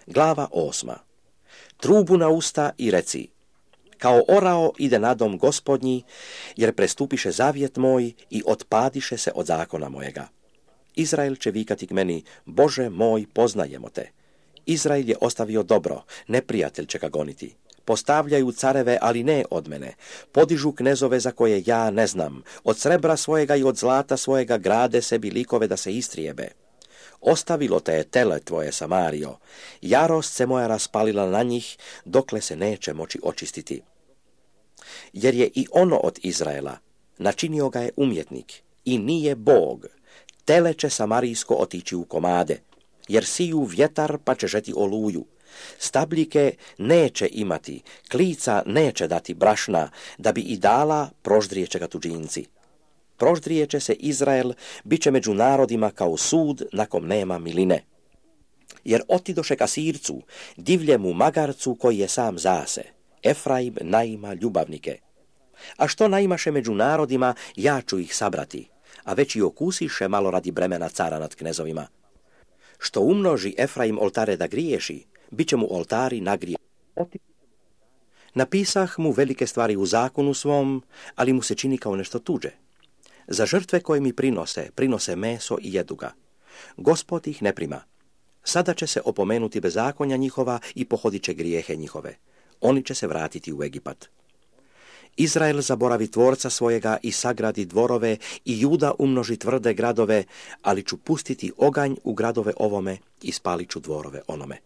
Glava 8. Trubu na usta i reci: kao orao ide na dom Gospodnji, jer prestupiše zavjet moj i otpadiše se od zakona mojega. Izrael će vikati k meni: Bože moj, poznajemo te. Izrael je ostavio dobro, neprijatelj će ga goniti. Postavljaju careve, ali ne od mene. Podižu knezove za koje ja ne znam. Od srebra svojega i od zlata svojega grade sebi likove da se istrijebe. Ostavilo te je tele tvoje, Samario. Jarost se moja raspalila na njih, dokle se neće moći očistiti. Jer je i ono od Izraela, načinio ga je umjetnik, i nije Bog. Tele će samarijsko otići u komade, jer siju vjetar pa će žeti oluju. Stabljike neće imati, klica neće dati brašna, da bi i dala, proždrijeće ga tuđinci. Proždrijeće se Izrael, bit će među narodima kao sud na kom nema miline. Jer otidoše ka Sircu, divljemu magarcu koji je sam zase. Efraim naima ljubavnike. A što naimaše među narodima, ja ću ih sabrati, a već i okusiše malo radi bremena cara nad knezovima. Što umnoži Efraim oltare da griješi, bit će mu oltari nagrije. Napisah mu velike stvari u zakonu svom, ali mu se čini kao nešto tuđe. Za žrtve koje mi prinose meso i jedu ga. Gospod ih ne prima. Sada će se opomenuti bezakonja njihova i pohodit će grijehe njihove. Oni će se vratiti u Egipat. Izrael zaboravi tvorca svojega i sagradi dvorove i Juda umnoži tvrde gradove, ali ću pustiti oganj u gradove ovome i spalit ću dvorove onome.